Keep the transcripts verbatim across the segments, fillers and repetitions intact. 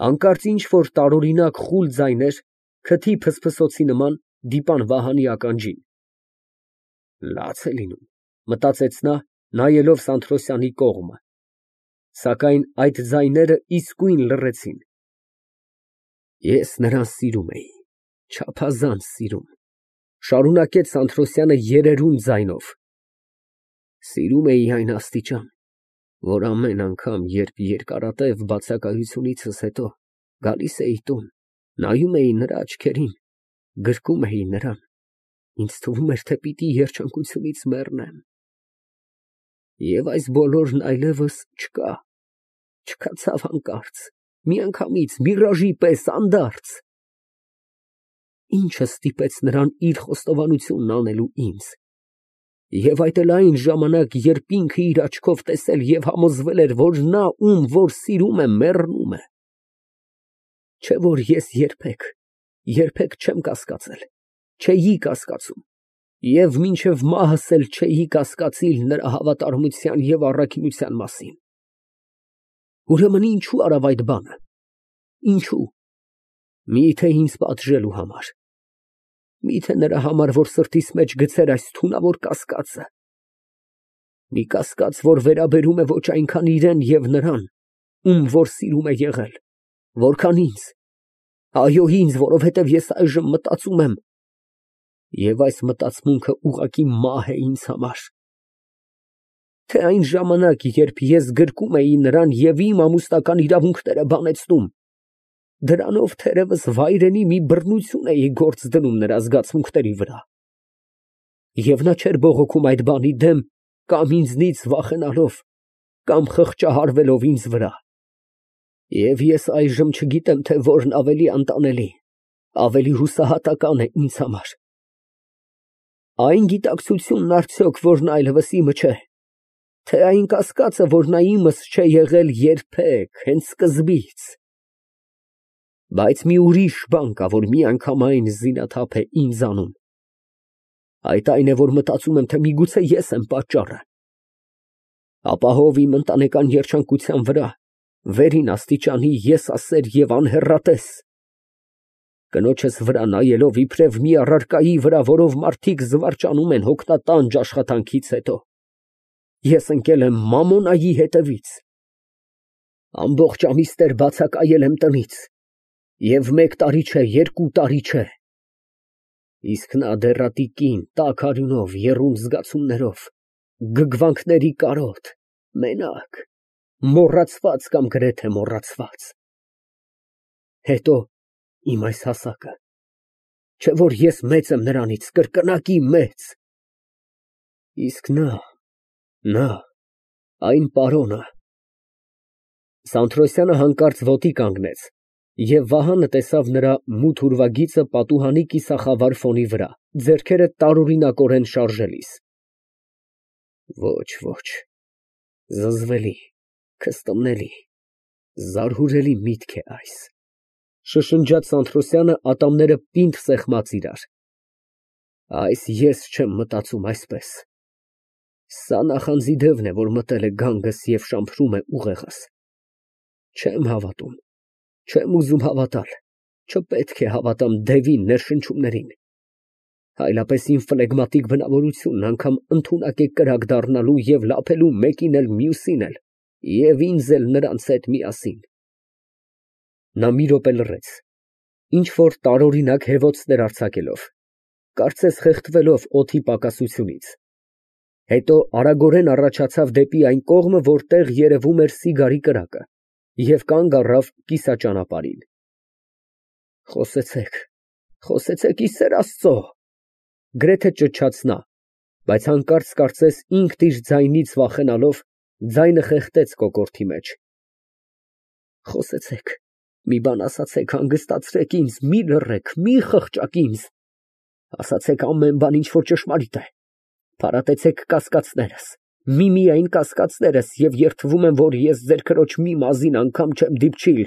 Հանկարծ ինչ֊որ տարօրինակ խուլ ձայներ, քթի փսփսոցի նման, դիպան Վահանի ականջին։ «Լաց է լինում», մտածեց նա, նայելով Սանթրոսյանի կողմը, սակայն այդ ձայները իսկույն լռեցին։ «Ես նրան սիրում էի, չափազանց սիրում», շարունակեց Սանթրոսյանը երերուն ձայնով, «սիրում էի այն աստիճան, որ ամեն անգամ, երբ երկարատև բացակայությունիցս հետո գալիս էի տուն, նայում էի նրա աչքերին, գրկում էի նրան, ինձ թվում էր, թե պիտի երջանկությունից մեռնեմ։ Եվ այս բոլորն այլևս չկա, չկացավ հանկարծ, միանգամից, միրաժի պես, անդարձ։ Ինչը ստիպեց նրան իր խոստովանությունն անելու ինձ։ Եվ այդ էլ այն ժամանակ, երբ ինքը իր աչքով տեսել և համոզվել էր, որ նա, ում որ սիրում է, մեռնում է։ Չէ՞ որ ես երբեք, երբեք չեմ կասկածել, չէի կասկածում, և մինչև մահս էլ չէի կասկածիլ նրա հավատարմության և առաքինության մասին։ Ուրեմն ինչո՞ւ արավ այդ բանը, ինչո՞ւ։ Մի՞թե ինձ պատժելու համար, մի՞թե նրա համար, որ սրտիս մեջ գցեր այս թունավոր կասկածը, մի կասկած, որ վերաբերում է ոչ այնքան իրան և նրան, ում որ սիրում է եղել, որքան ինձ, այո, ինձ, որովհետև ես այժմ մտածում եմ, և այս մտածմունքը ուղղակի մահ է ինձ համար, թե այն ժամանակ, երբ ես գրկում էի նրան և իմ ամուսնական իրավունքները բանեցնում, դրանով թերևս վայրենի մի բռնություն էի գործ դնում նրա զգացմունքների վրա, և նա չէր բողոքում այդ բանի դեմ, կամ ինձնից վախենալով, կամ խղճահարվելով ինձ վրա։ Եվ ես այժմ չգիտեմ, թե որն ավելի անտանելի, ավելի հուսահատական է ինձ համար. այն գիտակցությունն արդյոք, որն այլևս իմը չէ, թե այն կասկածը, որ նա իմս չէ եղել երբեք, հենց սկզբից։ Բայց մի ուրիշ բան կա, որ միանգամայն զինաթափ է ինձ անում. այդ այն է, որ մտածում եմ, թե միգուցե ես եմ պատճառը։ Ապահով իմ ընտանեկան երջանկության վրա, վերին աստիճանի եսասեր և անհեռատես, կնոջս վրա նայելով իբրև մի առարկայի վրա, որով մարդիկ զվարճանում են հոգնատանջ աշխատանքից հետո, ես ընկել եմ Մամոնայի հետևից, ամբողջ ամիսներ բացակայել եմ տնից, և մեկ տարի չէ, երկու տարի չէ, իսկ նա դեռատի կին, տաք արյունով, եռուն զգացումներով, գգվանքների կարոտ, մենակ, մոռացված կամ գրեթե մոռացված։ Հետո իմ այս հասակը, չէ՞ որ ես մեծ եմ նրանից, կրկնակի մեծ։ Իսկ նա, նա, այն պարոնը… Սանթրոսյանը հանկարծ ոտի կանգնեց, և Վահանը տեսավ նրա մութ ուրվագիծը պատուհանի կիսախավար ֆոնի վրա, ձեռքերը տարօրինակորեն շարժելիս։ Ոչ, ոչ, զզվելի, քստմնելի, զարհուրելի միտք է այս, շշնջաց Սանթրոսյանը, ատամները պինդ սեղմած իրար, այս ես չեմ մտածում այսպես, սա նախանձի դևն է, որ մտել է գանգս և շամփրում է ուղեղս, չեմ հավատում, չեմ ուզում հավատալ, չպետք է հավատամ դևի ներշնչումներին, այլապես իմ ֆլեգմատիկ բնավորությունն անգամ ընդունակ է կրակ դառնալու և լափելու մեկին էլ մյուսին էլ և ինձ էլ նրանց հետ միասին։ Նա մի րոպե լռեց, ինչ֊որ տարօրինակ հևոցներ արձակելով, կարծես խեղդվելով օդի պակասությունից, հետո արագորեն առաջացավ դեպի այն կողմը, որտեղ երևում էր սիգարի կրակը, և կանգ առավ կիսաճանապարհին։ Խոսեցեք, խոսեցեք, ի սեր Աստծո, գրեթե ճչաց նա, բայց հանկարծ կարծես ինքն իր ձայնից վախենալով, ձայնը խեղդեց կոկորդի մեջ։ Խոսեցեք, մի բան ասացեք, հանգստացրեք ինձ, մի լռեք, մի խղճաք ինձ, ասացեք ամեն բան, ինչ որ ճշմարիտ է, փարատեցեք կասկածներս, միմիայն կասկածներս, և երդվում եմ, որ ես ձեր քրոջ մի մազին անգամ չեմ դիպչիլ։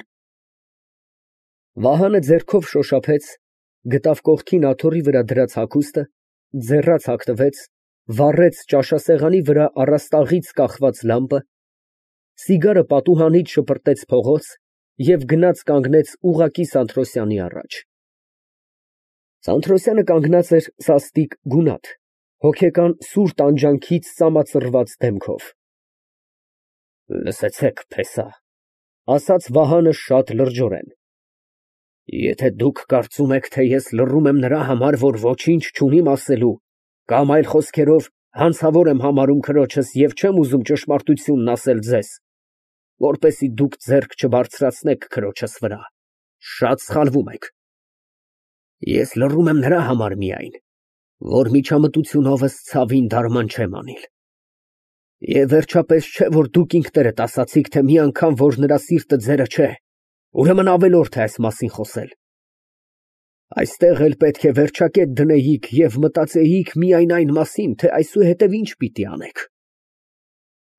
Վահանը ձեռքով շոշափեց, գտավ կողքին աթոռի վրա դրած հագուստը, ձեռաց հագնվեց, վառեց ճաշասեղանի վրա առաստաղից կախված լամպը, սիգարը պատուհանից շպրտեց փողոց, Եվ գնաց կանգնեց ուղղակի Սանթրոսյանի առաջ։ Սանթրոսյանը կանգնած էր սաստիկ գունատ, հոգեկան սուր տանջանքից ծամածռված դեմքով։ Լսեցեք, փեսա, ասաց Վահանը շատ լրջորեն, եթե դուք կարծում եք, թե ես լռում եմ նրա համար, որ ոչինչ չունիմ ասելու, կամ այլ խոսքերով հանցավոր եմ համարում քրոջս և չեմ ուզում ճշմարտությունն ասել ձեզ, որպեսզի դուք ձեռք չբարձրացնեք քրոջս վրա, շատ սխալվում եք։ Ես լռում եմ նրա համար միայն, որ միջամտությունովս ցավին դարման չեմ անիլ։ Եվ վերջապես չէ, որ դուք ինքներդ ասացիք, թե մի անգամ, որ նրա սիրտը ձերը չէ, ուրեմն ավելորդ է այս մասին խոսել։ Այստեղ էլ պետք է վերջակետ դնեիք և մտածեիք միայն այն մասին, թե այսուհետև ինչ պիտի անեք։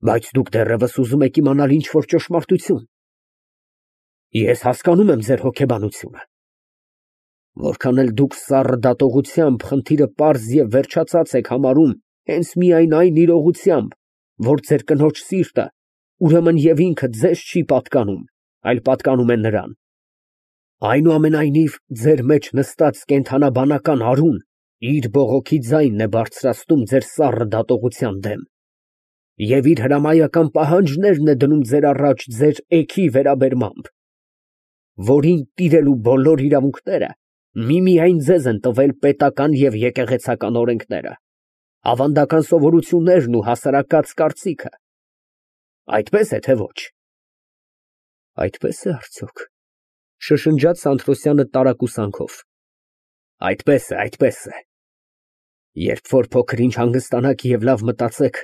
Բայց դուք դեռևս ուզում եք իմանալ ինչ-որ ճշմարտություն։ Ես հասկանում եմ ձեր հոգեբանությունը։ Որքան էլ դուք սառը դատողությամբ խնդիրը պարզ և վերջացած եք համարում հենց միայն այն իրողությամբ, որ ձեր կնոջ սիրտը ուրեմն և ինքը ձեզ չի պատկանում, այլ պատկանում է նրան։ Այնուամենայնիվ, ձեր մեջ նստած կենդանաբանական արուն իր բողոքի ձայնն է բարձրացնում ձեր սառը դատողության դեմ և իր հրամայական պահանջներն է դնում ձեր առաջ ձեր էգի վերաբերմամբ, որին տիրելու բոլոր իրավունքները միմիայն ձեզ են տվել պետական և եկեղեցական օրենքները, ավանդական սովորություններն ու հասարակած կարծիքը։ Այդպես է, թե ոչ։ Այդպես է արդյոք, շշնջաց Սանթրոսյանը տարակուսանքով։ Այդպես է, այդպես է։ Երբ որ փոքր ինչ հանգստանաք և լավ մտածեք,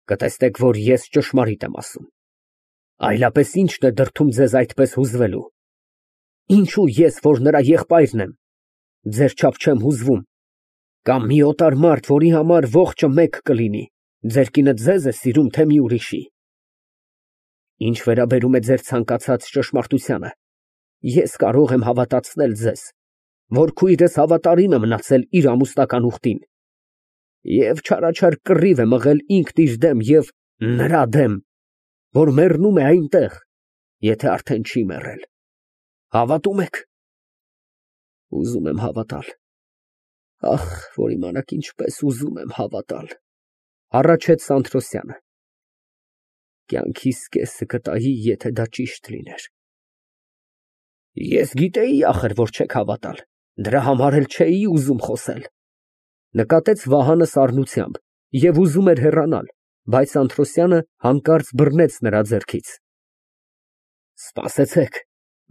կտեսնեք, որ ես ճշմարիտ եմ ասում։ Այլապես ի՞նչն է դրդում ձեզ այդպես հուզվելու։ Ինչո՞ւ ես, որ նրա եղբայրն եմ, ձեր չափ չեմ հուզվում, կամ մի օտար մարդ, որի համար ողջը մեկ կլինի, ձեր կինը ձեզ է սիրում, թե մի ուրիշի։ Ինչ վերաբերում է ձեր ցանկացած ճշմարտությանը, ես կարող եմ հավատացնել ձեզ, որ քույրս հավատարիմ է մնացել իր ամուսնական ուխտին և չարաչար կռիվ է մղել ինքն իր դեմ և նրա դեմ, որ մեռնում է այնտեղ, եթե արդեն չի մեռել։ Հավատո՞ւմ եք։ Ուզում եմ հավատալ։ Ախ, որ իմանաք ինչպես ուզում եմ հավատալ, հառաչեց Սանթրոսյանը։ Կյանքիս կեսը կտայի, եթե դա ճիշտ լիներ։ Ես գիտեի, ախր, որ չեք հավատալ, դրա համար էլ չէի ուզում խոսել, նկատեց Վահանը սառնությամբ և ուզում էր հեռանալ, բայց Սանթրոսյանը հանկարծ բռնեց նրա ձեռքից։ Սպասեցեք,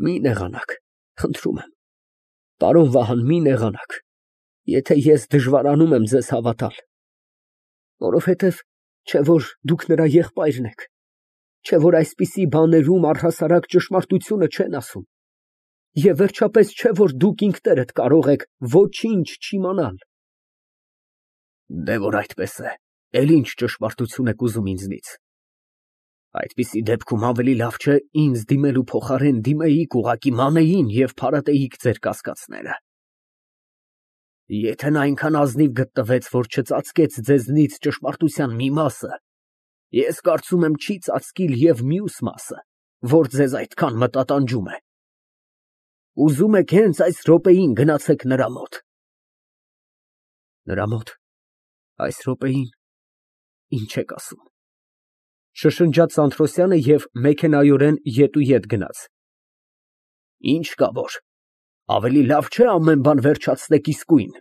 մի նեղանաք, խնդրում եմ, պարոն Վահան, մի նեղանաք, եթե ես դժվարանում եմ ձեզ հավատալ, որովհետև չէ որ դուք նրա եղբայրն եք, չէ որ այսպիսի բաներում առհասարակ ճշմարտությունը չեն ասում, և վերջապես չէ որ դուք ինքներդ կարող եք ոչինչ չիմանալ։ Դե որ այդպես է, էլ ինչ ճշմարտություն եք ուզում ինձնից։ Այդպիսի դեպքում ավելի լավ չէ ինձ դիմելու փոխարեն դիմեիք ուղղակի մանեին և փարատեիք ձեր կասկածները։ Եթե նա այնքան ազնիվ գտնվեց, որ չծածկեց ձեզնից ճշմարտության մի մասը, ես կարծում եմ չի ծածկիլ և մյուս մասը, որ ձեզ այդքան մտատանջում է։ Ուզում եք հենց այս րոպեին գնացեք նրա մոտ։ Նրա մոտ, այս րոպեին, ինչ եք ասում։ Շշնջաց Սանթրոսյանը և մեքենայորեն ետուետ գնաց։ Ինչ կա որ, ավելի լավ չէ ամեն բան վերջացնեք իսկույն,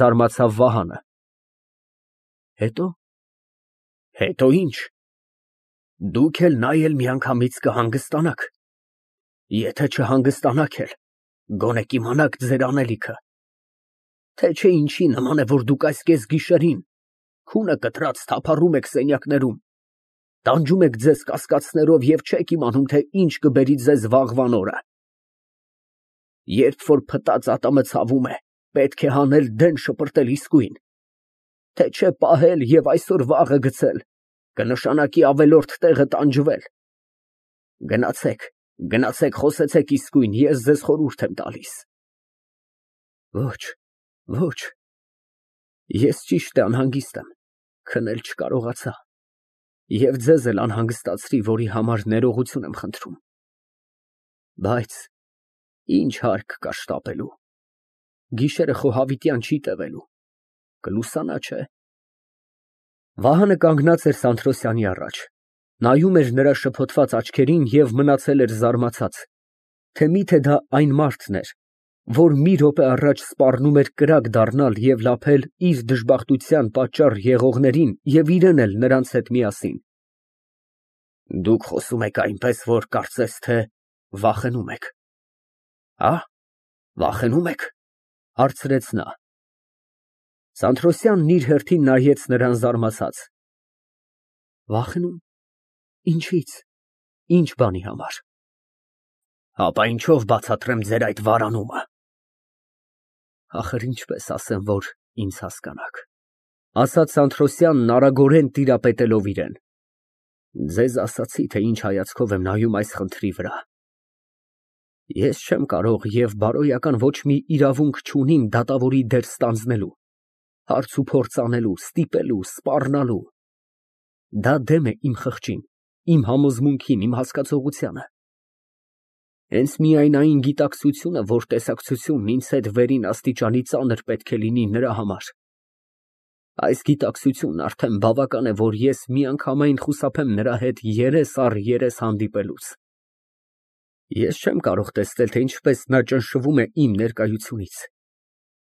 զարմացավ Վահանը։ Հետո։ Հետո ինչ։ Դուք էլ նա էլ միանգամից կհանգստանաք։ Եթե չհանգստանաք էլ, գոնե կիմանաք ձեր անելիքը։ Թե չէ ինչի նման է, որ դուք այս կեսգիշերին քունը կտրած թափառում եք սենյակներում, տանջում եք ձեզ կասկածներով և չեք իմանում, թե ինչ կբերի ձեզ վաղվան օրը։ Երբ որ փտած ատամը ցավում է, պետք է հանել դեն շպրտել իսկույն, թե չէ պահել և այսօր վաղը գցել, կնշանակի ավելորդ տեղը տանջվել։ Գնացեք, գնացեք խոսեցեք իսկույն, ես ձեզ խորհուրդ եմ տալիս։ Ոչ, ոչ, ես ճիշտ է անհանգիստ եմ, քնել չկարողացա և ձեզ էլ անհանգստացրի, որի համար ներողություն եմ խնդրում։ Բայց ինչ հարկ կա շտապելու։ Գիշերը խոհավիտյան չի տևելու, կլուսանա, չէ՞։ Վահանը կանգնած էր Սանթրոսյանի առաջ, նայում էր նրա շփոթված աչքերին և մնացել էր զարմացած, թե միթե դա այն մարդն էր, որ մի րոպե առաջ սպառնում էր կրակ դառնալ և լափել իր դժբախտության պատճառ եղողներին և իրեն էլ նրանց հետ միասին։ Դուք խոսում եք այնպես, որ կարծես թե վախենում եք։ Հա՞, վախենու՞մ եք, հարցրեց նա։ Սանթրոսյանն իր հերթին նայեց նրան զարմացած։ Վախենու՞մ, ինչի՞ց, ինչ բանի համար։ Հապա ինչով բացատրեմ ձեր այդ վարանումը։ Ախր ինչպես ասեմ, որ ինձ հասկանաք, ասաց Սանթրոսյանն արագորեն տիրապետելով իրան։ Ձեզ ասացի, թե ինչ հայացքով եմ նայում այս խնդրի վրա։ Ես չեմ կարող և բարոյական ոչ մի իրավունք չունիմ դատավորի դեր ստանձնելու, հարց ու փորձ անելու, ստիպելու, սպառնալու։ Դա դեմ է իմ խղճին, իմ համոզմունքին, իմ հասկացողությանը։ Հենց միայն այն գիտակցությունը, որ տեսակցությունն ինձ հետ վերին աստիճանի ծանր պետք է լինի նրա համար։ Այս գիտակցությունն արդեն բավական է, որ ես միանգամայն խուսափեմ նրա հետ երես առ երես հանդիպելուց։ Ես չեմ կարող տեսնել, թե ինչպես նա ճնշվում է իմ ներկայությունից,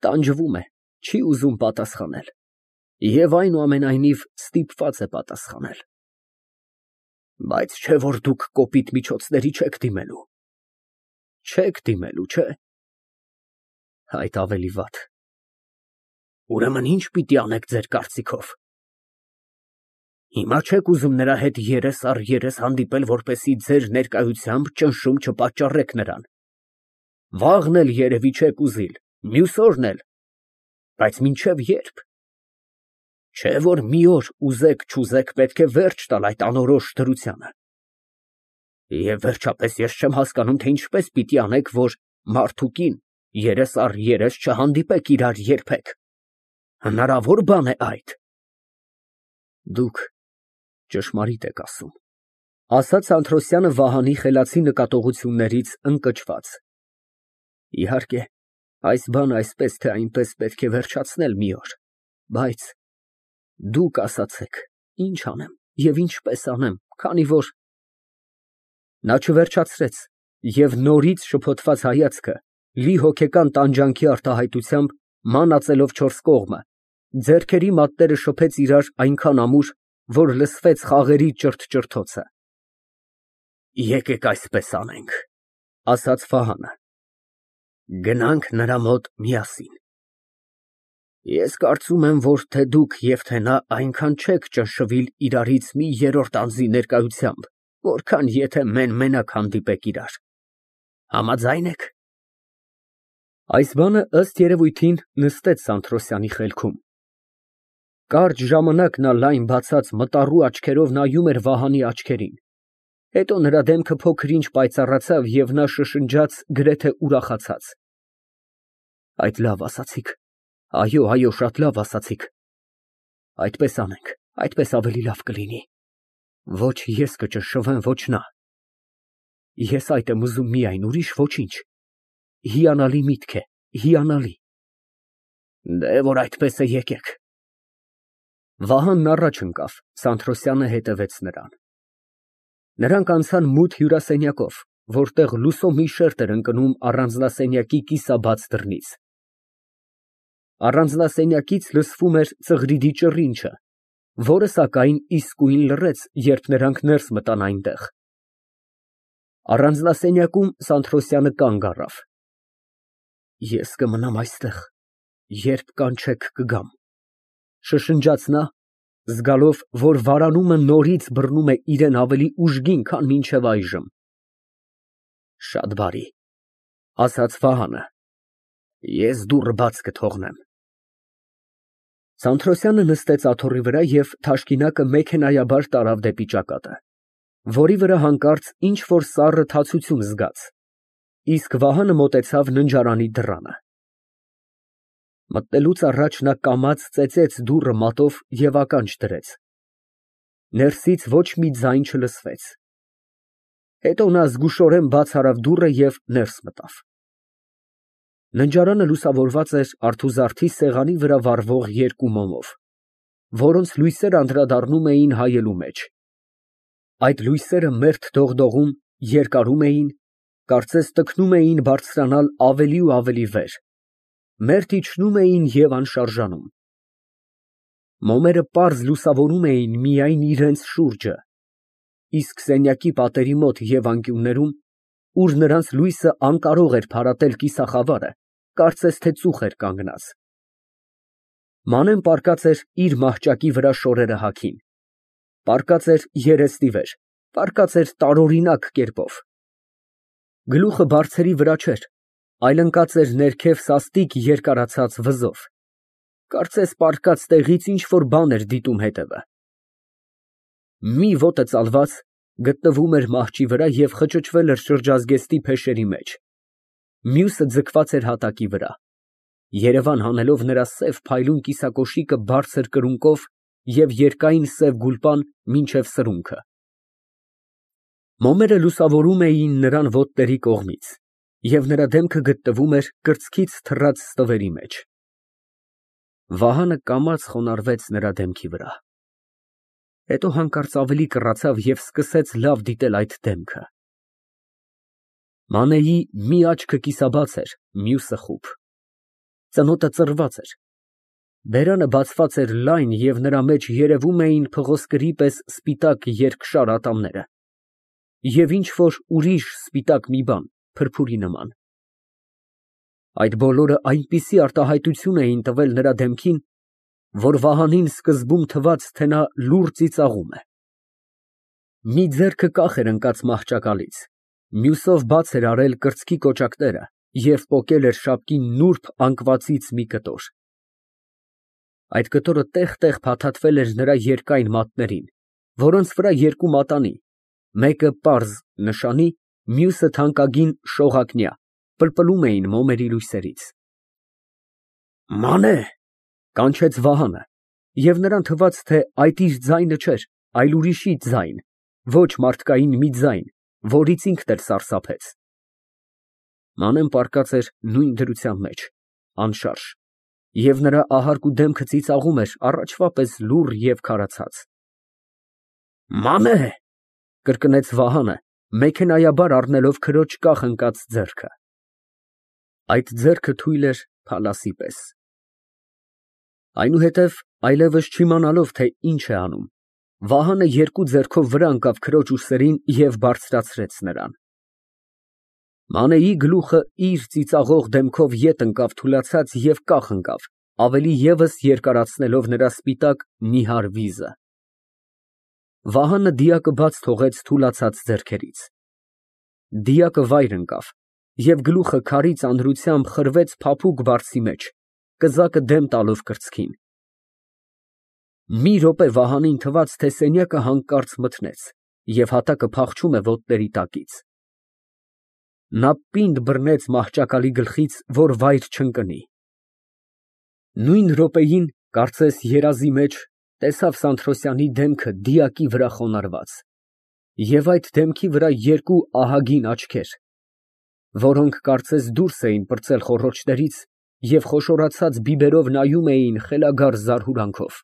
տանջվում է, չի ուզում պատասխանել և այնուամենայնիվ ստիպված է պատասխանել։ Բայց չէ՞ որ դուք կոպիտ միջոցների չեք դիմելու։ Չեք դիմելու, չէ՞։ Այդ ավելի վատ։ Ուրեմն ինչ պիտի անեք ձեր կարծիքով։ Հիմա չեք ուզում նրա հետ երես առ երես հանդիպել, որպեսզի ձեր ներկայությամբ ճնշում չպատճառեք նրան։ Վաղն էլ երևի չեք ուզիլ, մյուս օրն էլ, բայց մինչև ե՞րբ։ Չէ՞ որ մի օր ուզեք֊չուզեք պետք է վերջ տալ այդ անորոշ դրությանը։ Եվ վերջապես ես չեմ հասկանում, թե ինչպես պիտի անեք, որ մարդ ու կին երես առ երես չհանդիպեք իրար երբեք։ Հնարավոր բան է այդ։ Դուք ճշմարիտ եք ասում, ասաց Սանթրոսյանը Վահանի խելացի նկատողություններից ընկճված։ Իհարկե, այս բանը այսպես թե այնպես պետք է վերջացնել մի օր, բայց դուք ասացեք, ինչ անեմ և ինչպես անեմ, քանի որ… Նա չվերջացրեց և նորից շփոթված հայացքը լի հոգեկան տանջանքի արտահայտությամբ մանածելով չորս կողմը, ձեռքերի մատները շփեց իրար այնքան ամուր, որ լսվեց խաղերի ճրթ֊ճրթոցը։ Եկեք այսպես անենք, ասաց Վահանը, գնանք նրա մոտ միասին։ Ես կարծում եմ, որ թե դուք և թե նա այնքան չեք ճնշվիլ իրարից մի երրորդ անձի ներկայությամբ, որքան եթե մեն֊մենակ հանդիպեք իրար։ Համաձա՞յն եք։ Այս բանը ըստ երևույթին նստեց Սանթրոսյանի խելքում։ Կարճ ժամանակ նա լայն բացած մտառու աչքերով նայում էր Վահանի աչքերին, հետո նրա դեմքը փոքր֊ինչ պայծառացավ և նա շշնջաց գրեթե ուրախացած. Այդ լավ ասացիք, այո, այո, շատ լավ ասացիք։ Այդպես անենք, այդպես ավելի լավ կլինի։ Ոչ ես կճնշվեմ, ոչ նա։ Ես այդ եմ ուզում միայն, ուրիշ ոչինչ։ Հիանալի միտք է, հիանալի։ Դե որ այդպես է, եկեք։ Վահանն առաջ ընկավ, Սանթրոսյանը հետևեց նրան։ Նրանք անցան մութ հյուրասենյակով, որտեղ լուսո մի շերջ էր ընկնում առանձնասենյակի կիսաբաց դռնից։ Առանձնասենյակից լսվում էր ծղրիդի ճռինչը, որը, սակայն, իսկույն լռեց, երբ նրանք ներս մտան այնտեղ։ Առանձնասենյակում Սանթրոսյանը կանգ առավ։ Ես կմնամ այստեղ, երբ կանչեք կգամ, շշնջաց նա, զգալով, որ վարանումը նորից բռնում է իրան ավելի ուժգին, քան մինչև այժմ։ Շատ բարի, ասաց Վահանը, ես դուռը բաց կթողնեմ։ Սանթրոսյանը նստեց աթոռի վրա և թաշկինակը մեքենայաբար տարավ դեպի ճակատը, որի վրա հանկարծ ինչ֊որ սառը թացություն զգաց, իսկ Վահանը մոտեցավ ննջարանի դռանը։ Մտնելուց առաջ նա կամաց ծեծեց դուռը մատով և ականջ դրեց։ Ներսից ոչ մի ձայն չլսվեց։ Հետո նա զգուշորեն բաց արավ դուռը և ներս մտավ։ Ննջարանը լուսավորված էր արթուզարդի սեղանի վրա վառվող երկու մոմով, որոնց լույսերը անդրադառնում էին հայելու մեջ։ Այդ լույսերը մերթ դողդողում, երկարում էին, կարծես տքնում էին բարձրանալ ավելի ու ավելի վեր, մերթ իջնում էին և անշարժանում։ Մոմերը պարզ լուսավորում էին միայն իրենց շուրջը, իսկ սենյակի պատերի մոտ և անկյուններում, ուր նրանց լույսը անկարող էր փարատել կիսախավարը, կարծես թե ծուխ էր կանգնած։ Մանեն պառկած էր իր մահճակի վրա շորերը հագին, պառկած էր երեսնի վեր, պառկած էր տարօրինակ կերպով։ Գլուխը բարձերի վրա չէր, այլ ընկած էր ներքև սաստիկ երկարացած վզով, կարծես պառկած տեղից ինչ֊որ բան էր դիտում հետևը։ Մի ոտը ծալված, գտնվում էր մահճի վրա և խճճվել էր շրջազգեստի փեշերի մեջ, մյուսը ձգված էր հատակի վրա, երևան հանելով նրա սև փայլուն կիսակոշիկը բարձր կրունկով և երկայն սև գուլպան մինչև սրունքը։ Մոմերը լուսավորում էին նրան ոտների կողմից, և նրա դեմքը գտնվում էր կրծքից թռած ստվերի մեջ։ Վահանը կամաց խոնարհվեց նրա դեմքի վրա, հետո հանկարծ ավելի կռացավ և սկսեց լավ դիտել այդ դեմքը։ Մանեի մի աչքը կիսաբաց էր, մյուսը խուլ, ծնոտը ծռված էր, բերանը բացված էր լայն և նրա մեջ երևում էին փղոսկրի պես սպիտակ երկշար ատամները և ինչ֊որ ուրիշ սպիտակ մի բան, փրփուրի նման։ Այդ բոլորը այնպիսի արտահայտություն էին տվել նրա դեմքին, որ Վահանին սկզբում թվաց, թե նա լուռ ծիծաղում է։ Մի ձեռքը կախ էր ընկած մահճակալից, մյուսով բաց էր արել կրծքի կոճակները և պոկել էր շապկի նուրբ անկվածից մի կտոր։ Այդ կտորը տեղ֊տեղ փաթաթվել էր նրա երկայն մատներին, որոնց վրա երկու մատանի, մեկը պարզ նշանի, մյուսը թանկագին շողակնյա, պլպլում էին մոմերի լույսերից։ «Մանե», կանչեց Վահանը, և նրան թվաց, թե այդ իր ձայնը չէր, այլ ուրիշի ձայն, ոչ մարդկային մի ձայն, որից ինքն էլ սարսափեց։ Մանեն պառկած էր նույն դրության մեջ, անշարժ, և նրա ահարկու դեմքը ծիծաղում էր առաջվա պես լուռ և քարացած։ «Մանե», կրկնեց Վահանը, մեքենայաբար առնելով քրոջ կախ ընկած ձեռքը։ Այդ ձեռքը թույլ էր փալասի պես։ Այնուհետև, այլևս չիմանալով, թե ինչ է անում, Վահանը երկու ձեռքով վրա ընկավ քրոջ ուսերին և բարձրացրեց նրան։ Մանեի գլուխը իր ծիծաղող դեմքով ետ ընկավ թուլացած և կախ ընկավ, ավելի ևս երկարացնելով նրա սպիտակ նիհար վիզը։ Վահանը դիակը բաց թողեց թուլացած ձեռքերից։ Դիակը վայր ընկավ, և գլուխը քարի ծանրությամբ խրվեց փափուկ բարձի մեջ, կզակը դեմ տալով կրծքին։ Մի րոպե Վահանին թվաց, թե սենյակը հանկարծ մթնեց, և հատակը փախչում է ոտների տակից։ Նա պինդ բռնեց մահճակալի գլխից, որ վայր չընկնի։ Նույն րոպեին, կարծես երազի մեջ, տեսավ Սանթրոսյանի դեմքը դիակի վրա խոնարհված և այդ դեմքի վրա երկու ահագին աչքեր, որոնք կարծես դուրս էին պրծել խոռոչներից և խոշորացած բիբերով նայում էին խելագար զարհուրանքով։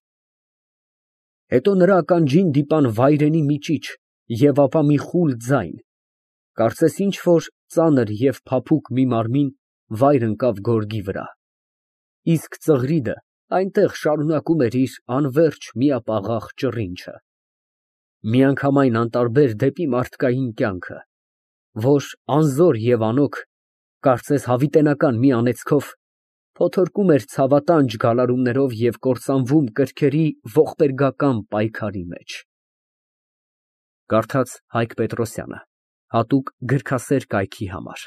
Հետո նրա ականջին դիպան վայրենի մի ճիչ և ապա մի խուլ ձայն, կարծես ինչ֊որ ծանր և փափուկ մի մարմին վայր ընկավ գորգի վրա, իսկ ծղրիդը այնտեղ շարունակում էր իր անվերջ միապաղաղ ճռինչը, միանգամայն անտարբեր դեպի մարդկային կյանքը, որ անզոր և անօգ, կարծես հավիտենական մի անեծքով, փոթորկում էր ցավատանջ գալարումներով և կործանվում կրքերի ողբերգական պայքարի մեջ։ Կարդաց Հայկ Պետրոսյանը, հատուկ գրքասեր կայքի համար։